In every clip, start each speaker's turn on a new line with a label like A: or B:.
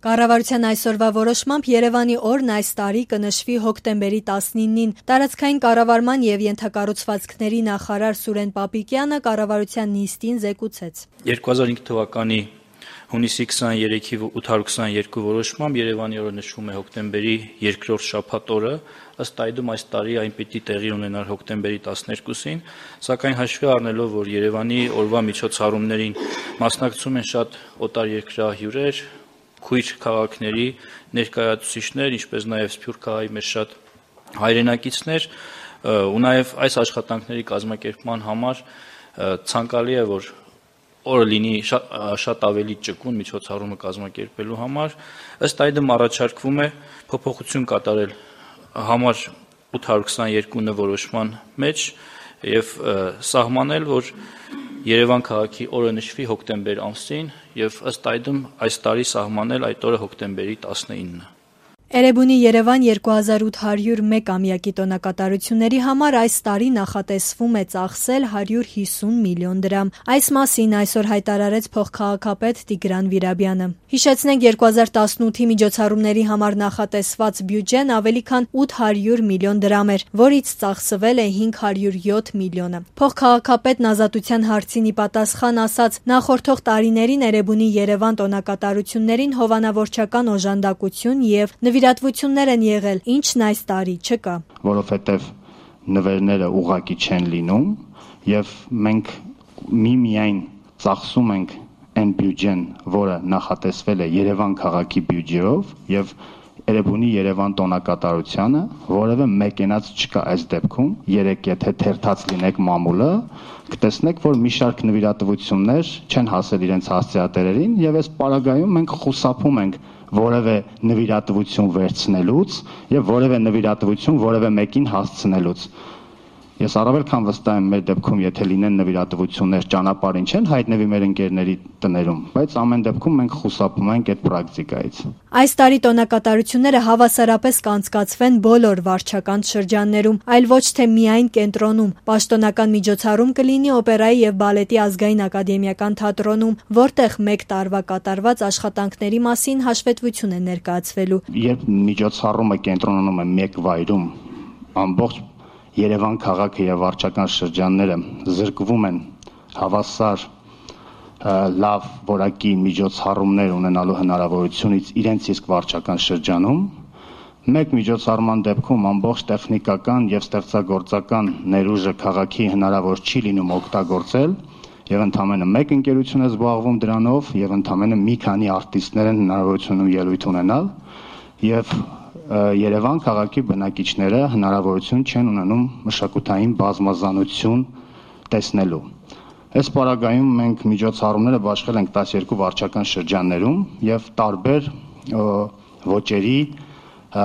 A: Կառավարության այսօրվա որոշմամբ Երևանի օրն այս տարի կնշվի հոկտեմբերի 19-ին։ Տարածքային կառավարման եւ ենթակառուցվածքների նախարար Սուրեն Պապիկյանը կառավարության նիստին զեկուցեց.
B: 2005 թվականի հունիսի 23-ի 822 որոշմամբ Երևանի օրը նշվում է հոկտեմբերի 2-րդ շաբաթ օրը, ըստ այդմ այս տարի այն պիտի տեղի ունենար հոկտեմբերի 12-ին, սակայն հաշվի առնելով, որ Երևանի օրվա միջոցառումներին մասնակցում են շատ օտարերկրյա հյուրեր, քույր քաղաքների ներկայացուցիչներ, ինչպես նաև Սփյուռք քաղաքի մեր շատ հայրենակիցներ, ու նաև այս աշխատանքների կազմակերպման համար ցանկալի է, որ օրը լինի շատ ավելի ճկուն միջոցառումը կազմակերպելու համար, ըստ այդմ առաջարկվում է փոփոխություն կատարել համար 822 որոշման մեջ եւ սահմանել, որ Երևան քաղաքի օրը նշվի հոկտեմբեր ամսին եւ ըստ այդմ այս տարի սահմանել այդ օրը հոկտեմբերի 19-ը։
A: Էրեբունի Երևան 2801-ամյակի տոնակատարությունների համար այս տարի նախատեսվում է ծախսել 150 միլիոն դրամ։ Այս մասին այսօր հայտարարեց փոխքաղաքապետ Տիգրան Վիրաբյանը։ Հիշեցնենք 2018-ի միջոցառումների համար նախատեսված բյուջեն ավելի քան 800 միլիոն դրամ էր, որից ծախսվել է 507 միլիոնը։ Փոխքաղաքապետն ազատության հարցին ի պատասխան ասաց. նախորդող տարիներին Էրեբունի Երևան տոնակատարություններին հովանավորչական օժանդակություն եւ նվիրատվություններ են եղել, ինչն այս տարի չկա։
C: Որովհետև նվերները ուղղակի չեն լինում եւ մենք միայն ծախսում ենք այն բյուջեն, որը նախատեսվել է Երևան քաղաքի բյուջեով եւ Էրեբունի Երևան տոնակատարությանը որևէ մեկենաց չկա այս դեպքում։ Երեք եթե թերթած լինեք մամուլը, կտեսնեք, որ մի շարք նվիրատվություններ չեն հասել իրենց հասցեատերերին եւ այս պարագայում մենք խուսափում ենք որևէ նվիրատվություն վերցնելուց եւ որևէ նվիրատվություն որևէ մեկին հասցնելուց։ Ես առավել քան վստահ եմ մեր դեպքում, եթե լինեն նվիրատվություններ ճանապարհին չեն հայտնվի մեր ընկերների տներում, բայց ամեն դեպքում մենք խուսափում ենք այդ պրակտիկայից։
A: Այս տարի տոնակատարությունները հավասարապես կանցկացվեն բոլոր վարչական շրջաններում, այլ ոչ թե միայն կենտրոնում։ Պաշտոնական միջոցառում կլինի օպերայի եւ բալետի ազգային ակադեմիական թատրոնում, որտեղ մեկ տարվա կատարված աշխատանքների մասին հաշվետվություն է ներկայացվելու։
C: Երբ միջոցառումը կենտրոնանում է մեկ վայրում, ամբողջ Երևան քաղաքը եւ վարչական շրջանները զրկվում են հավասար լավ որակի միջոցառումներ ունենալու հնարավորությունից իրենց իսկ վարչական շրջանում, մեկ միջոցառման դեպքում ամբողջ տեխնիկական եւ ստեղծագործական ներուժը քաղաքի հնարավոր չի լինում օգտագործել եւ ընդամենը մեկ ընկերություն է զբաղվում դրանով եւ ընդամենը մի քանի արտիստներ են հնարավորություն ելույթ ունենալ եւ Երևան քաղաքի բնակիչները հնարավորություն չեն ունենում մշակութային բազմազանություն տեսնելու։ Այս պարագայում մենք միջոցառումները բաշխել ենք 12 վարչական շրջաններում եւ տարբեր ոճերի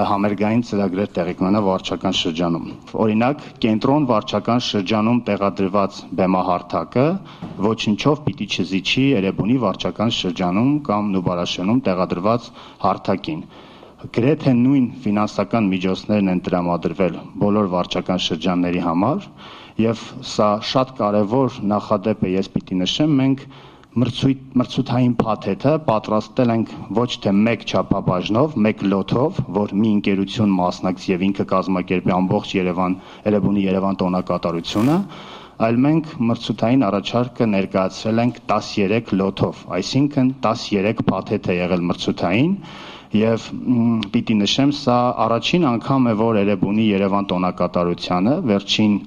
C: համերգային ծրագրեր տեղի կունենա վարչական շրջանում։ Օրինակ, կենտրոն վարչական շրջանում տեղադրված բեմահարթակը ոչնչով պիտի չզիջի Էրեբունի վարչական շրջանում կամ Նուբարաշենում տեղադրված հարթակին։ Գրեթե նույն ֆինանսական միջոցներն են տրամադրվել բոլոր վարչական շրջանների համար եւ սա շատ կարեւոր նախադեպ է, ես պիտի նշեմ, մենք մրցութային փաթեթը պատրաստել ենք ոչ թե մեկ չափաբաժնով, մեկ լոթով, որ մի ընկերություն մասնակցի եւ ինքը կազմակերպի ամբողջ Էրեբունի Երևան տոնակատարությունը, այլ մենք մրցութային առաջարկը ներկայացրել ենք 13 լոթով, այսինքն 13 փաթեթ է եղել մրցութային եւ պիտի նշեմ, սա առաջին անգամ է, որ Էրեբունի Երևան տոնակատարությանը վերջին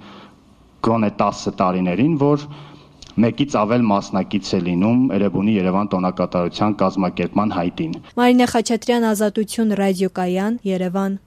C: գոնե 10 տարիներին, որ մեկից ավել մասնակից է լինում Էրեբունի Երևան տոնակատարության կազմակերպման հայտին։
A: Մարինե Խաչատրյան, Ազատություն, ռադիոկայան, Երևան։